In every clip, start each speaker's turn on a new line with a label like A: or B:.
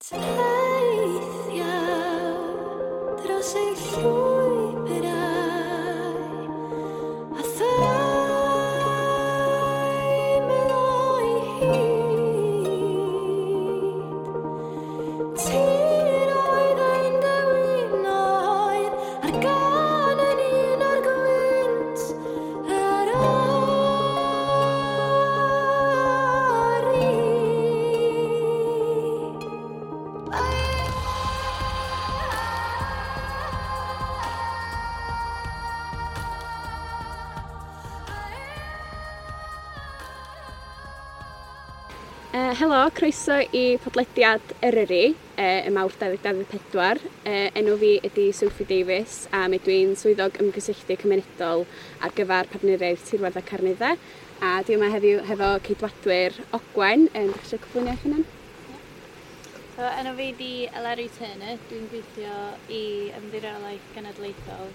A: Teithiau dros ei llwybrau a theimlo'i hyd. Tiroedd ein dewinoedd a'r gân yn un o'r gwynt yr ori.
B: Helo, croeso i podlediad Eryri, y Mawrth 2024. Enw fi ydy Sophie Davies a mi dwi'n swyddog ymgysylltu cymunedol ar gyfer partneriaeth Tirwedd a Carneddau. A dwi yma heddiw hefo ceidwadwyr Ogwen. Dach chi eisiau cyflwyno eich hunan?
C: So, enw fi di Eleri Turner, dwi'n gweithio i Ymddiriedolaeth Genedlaethol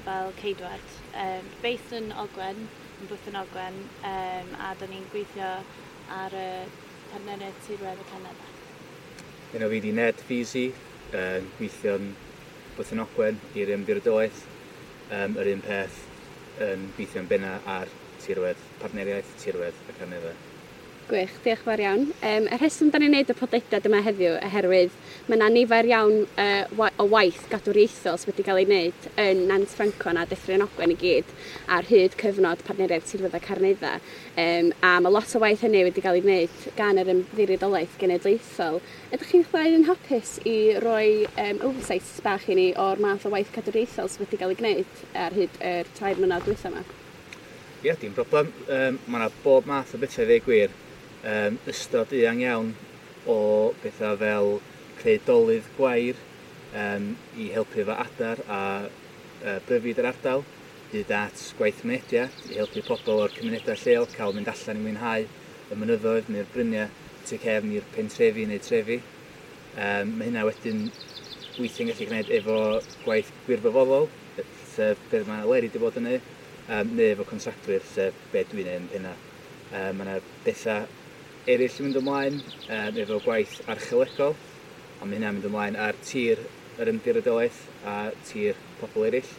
C: fel ceidwad. Based yn Ogwen, yn Bwthyn Ogwen, a da ni'n gweithio ar y partneriaeth Tirwedd y Canada.
D: Enw fi di Ned Feasey, gweithio'n Bwthyn Ogwen i'r Ymddiriedolaeth. Yr un peth yn gweithio'n benna ar tirwedd, partneriaeth Tirwedd y Carneddau.
B: Gwych, diolch yn fawr iawn. Y rheswm da ni'n neud y podlediad yma heddiw oherwydd mae yna nifer iawn o waith gadwriaethol sydd wedi cael ei wneud yn Nant Ffrancon a Dyffryn Ogwen i gyd ar hyd cyfnod partneriaeth Tirwedd a Carneddau. A mae lot o waith hynny wedi cael ei wneud gan yr Ymddiriedolaeth Genedlaethol. Ydych chi'n chwaith yn hapus i roi oversight bach i ni o'r math o waith cadwriaethol sydd wedi cael ei gwneud ar hyd yr 3 mlynedd dwytha yma?
D: Ie, dim broblem. Mae yna bob math o bethau i ddweud gwir. Ystod eang iawn o bethau fel creu dolydd gwair i helpu efo adar a bryfid yr ardal, hyd at gwaith mynediad i helpu pobl o'r cymunedau lleol cael mynd allan i mwynhau y mynyddoedd neu'r bryniau tu cefn i'r pentrefi neu trefi. Mae hynna wedyn weithiau'n gallu gwneud efo gwaith gwirfoddol, sef beth mae Eleri wedi bod yn neud, neu efo contractwyr, sef be dwi'n neud yn penna. Mae yna bethau eraill yn mynd ymlaen efo gwaith archeolegol, ond mae hynna'n mynd ymlaen ar tir yr ymddiriedolaeth a tir pobl eraill.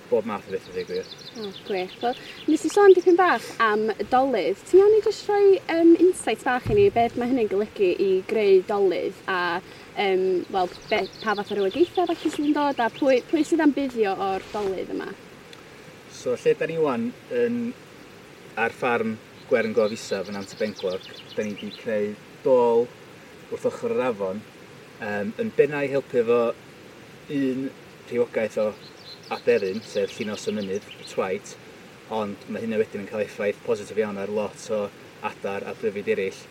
D: Bob math o bethau, dweud gwir.
B: O, gwych. Wel, nes i sôn dipyn bach am dolydd. Ti'n iawn i jyst rhoi insight bach i ni beth mae hynny'n golygu i greu dolydd a wel, pa fath o rywogaethau falle sydd yn dod a pwy sydd am buddio o'r dolydd yma?
D: So, lle da ni wan yn ar ffarm Gwern Gof Isaf yn Nant y Benglog, da ni wedi creu dôl wrth ochr yr afon, yn benna i helpu efo un rhywogaeth o aderyn, sef llinos y mynydd, y twait, ond mae hynna wedyn yn cael effaith positif iawn ar lot o adar a bryfid eraill.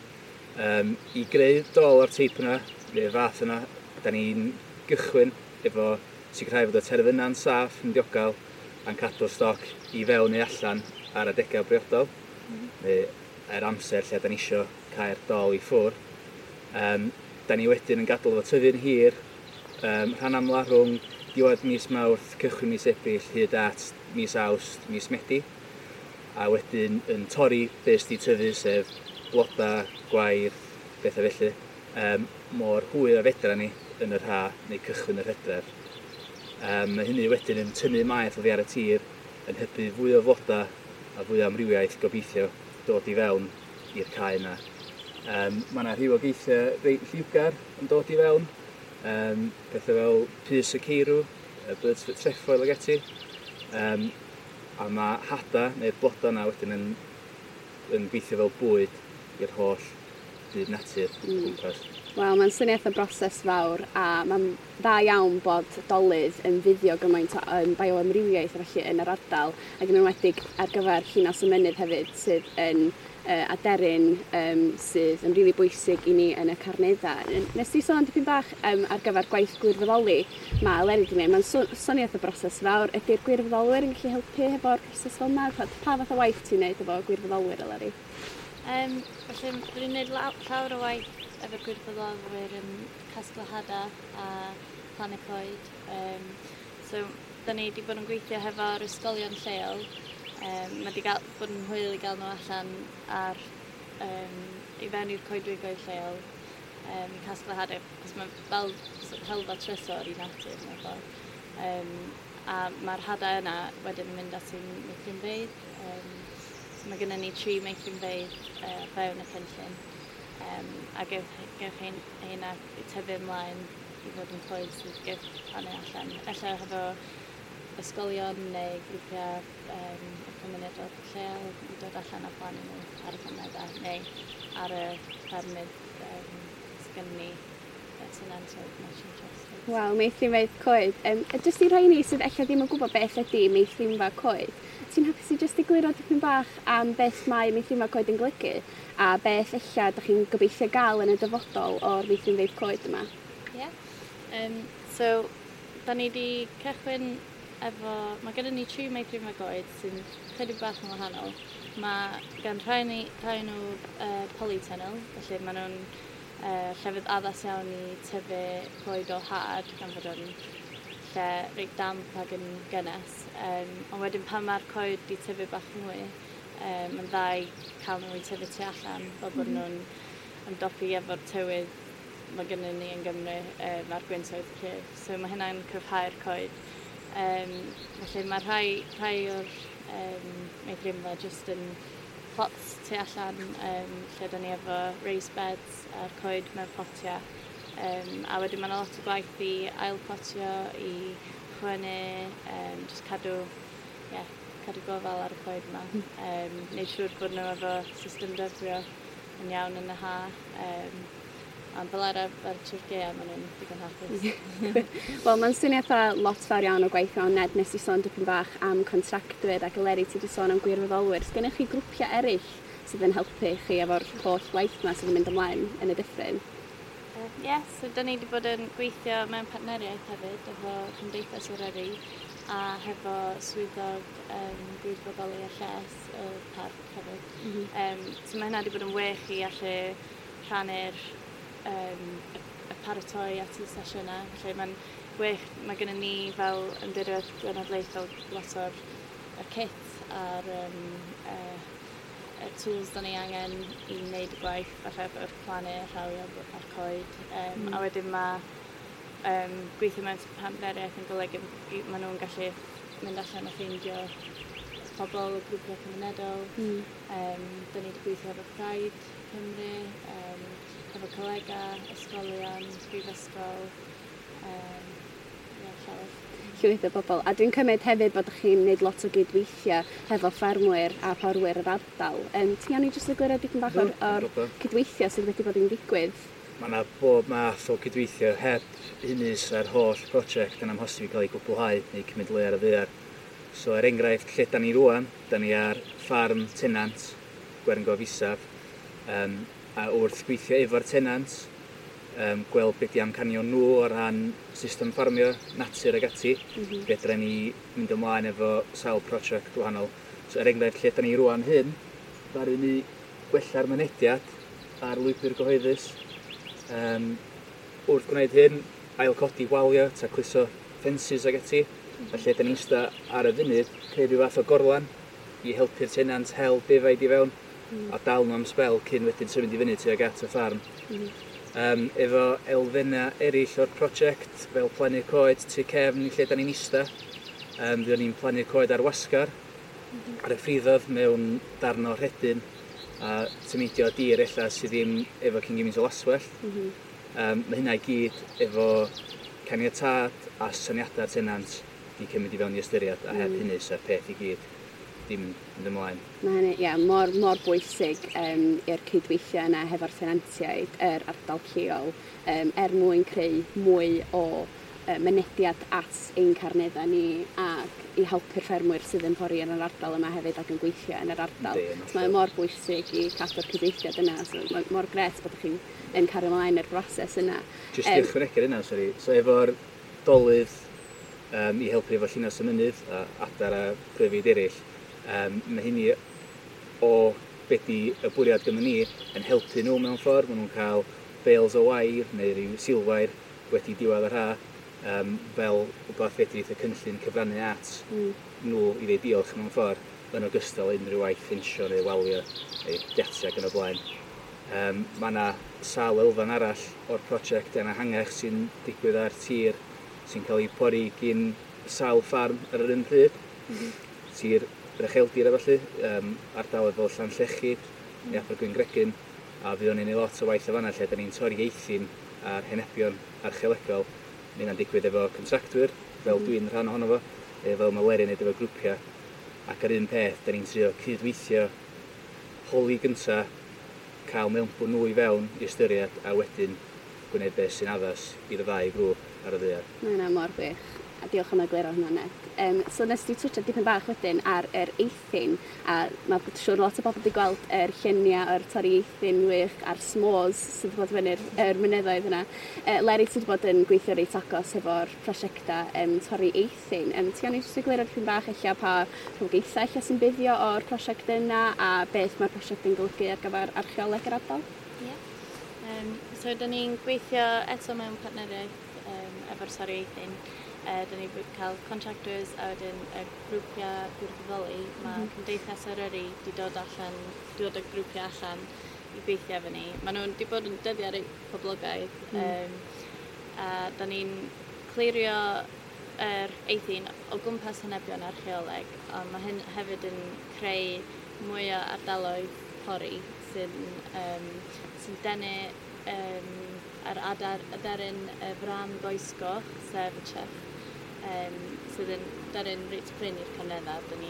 D: I greu dôl o'r teip yna, neu'r fath yna, da ni'n gychwyn efo sicrhau fod y terfynau'n saff, yn diogel, a'n cadw'r stoc i fewn neu allan ar adegau briodol, neu ar amser lle da ni isio cael dôl i ffwrdd. Da ni wedyn yn gadael fo tyfu'n hir, rhan amla rhwng diwedd mis Mawrth, cychwyn mis Ebrill, hyd at mis Awst, mis Medi, a wedyn yn torri be sy 'di tyfu, sef bloda, gwair, bethau felly, mor hwyr a fedra ni yn yr ha neu cychwyn yr hydref. Mae hynny wedyn yn tynnu maeth oddi ar y tir, yn hybu fwy o floda a fwy o amrywiaeth gobeithio dod i fewn i'r cae yna. Mae yna rhywogaethau reit lliwgar yn dod i fewn, pethau fel pys y ceirw, bird's foot trefoil ag ati, a mae hada neu'r bloda yna wedyn yn gweithio fel bwyd i'r holl byd natur o gwmpas.
B: Wel, mae'n syniad o broses fawr a mae'n dda iawn bod dolydd yn fuddio gymaint o bioamrywiaeth a felly yn yr ardal, ac yn enwedig ar gyfer llinos y mynydd hefyd sydd yn aderyn sydd yn rili bwysig i ni yn y Carneddau. Nes ti sôn dipyn bach ar gyfer gwaith gwirfoddoli mae Eleri wedi gwneud. Mae'n syniad o broses fawr. Ydy'r gwirfoddolwyr yn gallu helpu hefo'r broses fel yma? Pa fath o waith ti'n neud efo gwirfoddolwyr, Eleri?
C: Felly, dwi'n neud llawer o waith efo gwirfoddolwyr yn casglu hada a plannu coed. So, da ni wedi bod yn gweithio hefo'r ysgolion lleol. Mae wedi bod yn hwyl i gael nhw allan i fewn i'r coedwigoedd lleol. I casglu hadau, cos mae fel helfa trysor i natur mewn ffordd. A mae'r hadau yna wedyn yn mynd at ein meithrinfeydd. So mae gennym ni 3 meithrinfeydd fewn y cynllun. A gewch heina tyfu ymlaen i fod yn coed sydd gewch plannu allan. Ella hefo ysgolion neu grwpiau y cymunedol lleol i dod allan a plannu nhw ar y carneddau neu ar y ffermydd sydd gennym ni tenant o'r National Trust.
B: Waw, meithrinfeydd coed. Jyst i rhai ni sydd ella ddim yn gwybod beth ydy meithrinfa coed, ti'n hapus i jyst egluro dipyn bach am beth mae meithrinfa coed yn golygu a beth ella dych chi'n gobeithio gael yn y dyfodol o'r meithrinfeydd coed yma?
C: Ie. Yeah. So, da ni wedi cychwyn efo... Mae gennym ni 3 meithrinfa coed sy'n chydig bach yn wahanol. Mae gan rhai nhw polytunnel, felly maen nhw'n llefydd addas iawn i tyfu coed o had, gan fod o'n lle reit damp ac yn gynnes. Ond wedyn pan mae'r coed di tyfu bach mwy, mae'n dda i cael nhw i tyfu tu allan, fel bod nhw'n ymdopi efo'r tywydd mae gennym ni yn Gymru, mae'r gwyntoedd cryf. So mae hynna'n cryfhau'r coed. Felly mae rhai o'r meithrinfa jyst yn plots tu allan, lle da ni efo raised beds a'r coed mewn potiau. A wedyn mae yna lot o gwaith i ailpotio, i chwynnu, jyst cadw gofal ar y coed yma. Neud siŵr bod nhw efo system dyfrio yn iawn yn y ha. Ond fel arfer trwy'r gaeaf maen nhw'n digon hapus.
B: Wel, mae'n swnio fatha lot fawr iawn o gwaith mewn. Ned, nes i sôn dipyn bach am contractwyr ac Eleri, ti wedi sôn am gwirfoddolwyr. Sgennych chi grwpiau eraill sydd yn helpu chi efo'r holl waith yma sydd yn mynd ymlaen yn y dyffryn?
C: Ie, so da ni wedi bod yn gweithio mewn partneriaeth hefyd efo Cymdeithas Eryri a hefo swyddog gwirfoddoli a lles y parc hefyd. So mae hynna wedi bod yn wych i allu rhannu'r y paratoi at y sesiynau. Felly mae'n wych, mae gennym ni fel Ymddiriedolaeth Genedlaethol lot o'r kit a'r y tools da ni angen i wneud y gwaith, falle efo'r plannu, rhawio a'r coed. A wedyn mae gweithio mewn partneriaeth yn golygu maen nhw'n gallu mynd allan a ffeindio pobl o grwpiau cymunedol. Da ni wedi gweithio efo Pride Cymru, efo colega, ysgolion, brifysgol, llawer.
B: Llwyth o bobl. A dwi'n cymryd hefyd bod chi'n gwneud lot o gydweithio hefo ffermwyr a fforwyr yr ardal. Ti'n iawn i jyst egluro dipyn bach o'r cydweithio sydd wedi bod yn digwydd?
D: Mae yna bob math o cydweithio heb hynny sa'r holl prosiect yn amhosib i gael ei gwblhau neu cymryd le ar y ddaear. So er enghraifft, lle da ni rwan, da ni ar ffarm tenant, Gwern Gof Isaf, a wrth gweithio efo'r tenant, gweld beth di amcanion nhw o ran system ffarmio, natur ag ati, fedra ni mynd ymlaen efo sawl prosiect wahanol. So er enghraifft, lle da ni rwan hyn, ddaru ni gwella'r mynediad ar lwybr gyhoeddus. Wrth gwneud hyn, ailcodi walio, tacluso ffensys ag ati. Felly, da ni'n ista ar y funud, creu rhyw fath o gorlan i helpu'r tenant hel defaid i fewn a dal nhw am sbel cyn wedyn symud i fyny tuag at y ffarm. Efo elfennau eraill o'r prosiect, fel plannu coed tu cefn i lle da ni'n ista, fuon ni'n plannu coed ar wasgar, ar y ffriddodd mewn darn o rhedyn, a tymudio dir ella sydd ddim efo cyn gymaint o laswellt. Mae hynna i gyd efo caniatâd a syniadau'r tenant di cymryd i fewn i ystyried, a heb hynny sa'r peth i gyd ddim mynd ymlaen.
B: Mae hynny, ie, mor bwysig i'r cydweithio yna hefo'r tenantiaid, yr ardal lleol, er mwyn creu mwy o mynediad at ein carneddau ni ac i helpu'r ffermwyr sydd yn pori yn yr ardal yma hefyd ac yn gweithio yn yr ardal.
D: Yndi,
B: So mae mor bwysig i cadw'r cydweithiad yna, so mae mor gret bod chi'n yn cario ymlaen yr broses yna.
D: Jyst i ychwanegu'r yna, sori. So efo'r dolydd i helpu efo llinos y mynydd a adar a pryfid eraill, mae hynny o be di y bwriad gynnon ni yn helpu nhw mewn ffordd. Maen nhw'n cael bales o wair neu ryw silwair wedi diwedd yr ha, fel rhywbeth fedrith y cynllun cyfrannu at nhw i ddeud diolch mewn ffordd, yn ogystal unrhyw waith ffensio neu walio neu giatiau ac yn y blaen. Mae yna sawl elfen arall o'r prosiect yn ehangach sy'n digwydd ar tir sy'n cael ei pori gyn sawl ffarm ar yr un pryd. Tir yr ucheldir a felly, ardaloedd fel Llanllechid neu Abergwyngregyn, a fuon ni'n neud lot o waith o fanna lle da ni'n torri eithin ar henebion archeolegol. Mae hynna'n digwydd efo contractwyr, fel dwi'n rhan ohono fo, fel mae Leri'n neud efo grwpiau. Ac ar un peth, da ni'n trio cydweithio, holi gynta, cael mewnbwn nhw i fewn i ystyried, a wedyn gwneud beth sy'n addas i'r ddau grŵp ar y ddaear.
B: Mae hynna mor wych. A diolch am egluro hwnna, Ned. So nes di twtsio dipyn bach wedyn ar yr eithin, a mae siŵr lot o bobl wedi gweld yr lluniau o'r torri eithin wych a'r s'mores sydd wedi bod fyny'r yr mynyddoedd yna. Leri, ti wedi bod yn gweithio reit agos efo'r prosiectau torri eithin. Ti angen jyst egluro dipyn bach ella pa rhywogaethau ella sy'n buddio o'r prosiect yna a beth mae'r prosiect yn golygu ar gyfer archeoleg yr ardal?
C: Yeah. So, da ni'n gweithio eto mewn partneriaeth efo'r torri eithin. Da ni wedi cael contractors a wedyn y grwpiau gwirfoddoli. Mae Cymdeithas Eryri wedi dod allan, dod â grwpiau allan i gweithio efo ni. Maen nhw'n wedi bod yn dyddiau reit poblogaidd. A da ni'n clirio yr eithin o gwmpas henebion archeoleg, ond mae hyn hefyd yn creu mwy o ardaloedd pori sy'n denu yr adar, aderyn y fran goesgoch, sef y chough, sydd yn deryn reit prin i'r carneddau. Dyn ni,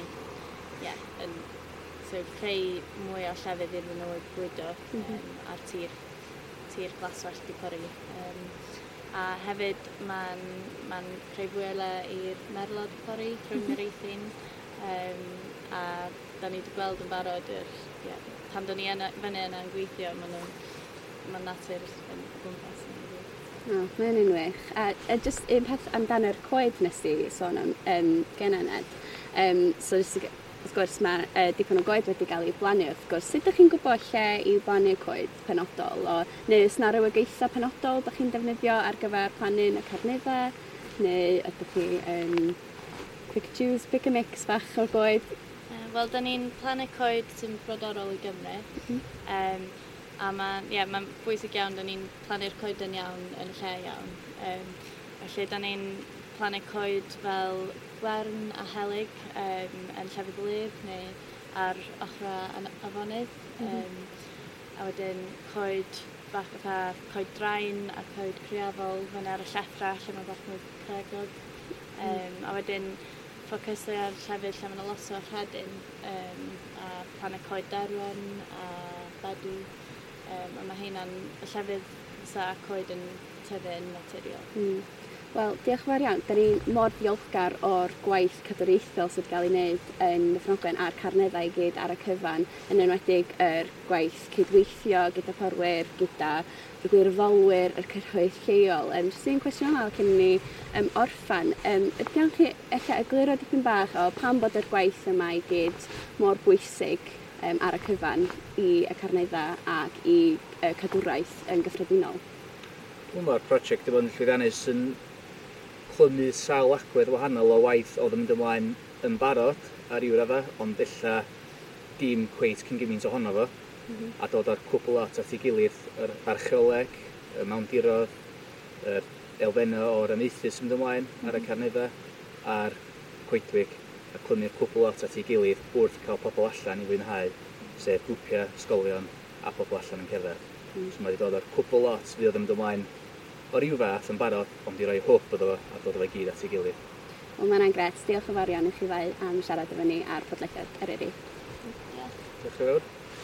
C: yeah, yn so creu mwy o llefydd iddyn nhw bwydo ar tir glaswellt di pori. A hefyd mae'n ma creu fwy o le i'r merlod pori rhwng yr eithin. A da ni wedi gweld yn barod yr, yeah, pan da ni yna, fyny yna yn gweithio, maen nhw'n mae natur yn o gwmpas ni.
B: O, mae hynny'n wych. A just un peth amdano'r coed nes di sôn am genna, Ned. So, jyst wrth gwrs, mae dipyn o goed wedi cael ei blannu, wrth gwrs. Sut ydych chi'n gwybod lle i blannu coed penodol? O, neu oes 'na rywogaethau penodol ydych chi'n defnyddio ar gyfer plannu yn y carneddau? Neu ydych chi yn quick choose, pick a mix bach o'r goed?
C: Wel, da ni'n plannu coed sy'n brodorol i Gymru. A mae'n yeah, ma bwysig iawn, da ni'n plannu'r coed yn iawn yn y lle iawn. Felly, da ni'n plannu coed fel gwern a helyg yn llefydd gwlyb neu ar ochrau afonydd. A wedyn coed bach fatha coed drain a coed criafol fyny ar y llethrau lle mae bach mwy cregog. A wedyn ffocysu ar llefydd lle mae 'na lot o rhedyn a plannu coed derwen a bedw. A mae heina'n y llefydd fysa coed yn tyfu yn naturiol.
B: Wel, diolch yn fawr iawn. Da ni mor ddiolchgar o'r gwaith cadwraethol sydd wedi cael ei wneud yn Nyffryn Ogwen a'r carneddau i gyd ar y cyfan, yn enwedig yr gwaith cydweithio gyda porwyr, gyda y gwirfoddolwyr, yr cyhoedd lleol. Jyst un cwestiwn olaf cyn i ni orffan. Ydy iawn chi ella egluro dipyn bach o pam bod yr gwaith yma i gyd mor bwysig ar y cyfan i y carneddau ac i cadwraeth yn gyffredinol?
D: Dwi'n meddwl mae'r prosiect wedi bod yn llwyddiannus yn clymu sawl agwedd wahanol o waith oedd yn mynd ymlaen yn barod ar ryw radda, ond ella dim cweit cyn gymaint ohono fo, a dod â'r cwbl lot at ei gilydd, yr archeoleg, y mawndiroedd, yr elfennau o'r amaethu sy'n mynd ymlaen ar y carneddau, a'r coedwig, a clymu'r cwbl lot at ei gilydd wrth cael pobl allan i fwynhau, sef grwpiau, ysgolion a pobl allan yn cerdded. So mae wedi dod â'r cwbl lot fydd yn mynd ymlaen o ryw fath yn barod, ond i roi hwb iddo fo a dod â fo i gyd at ei gilydd.
B: Wel, mae hwnna'n grêt. Diolch yn fawr iawn i chi ddau am siarad efo ni ar podlediad Eryri.
C: Diolch.
D: Diolch yn fawr.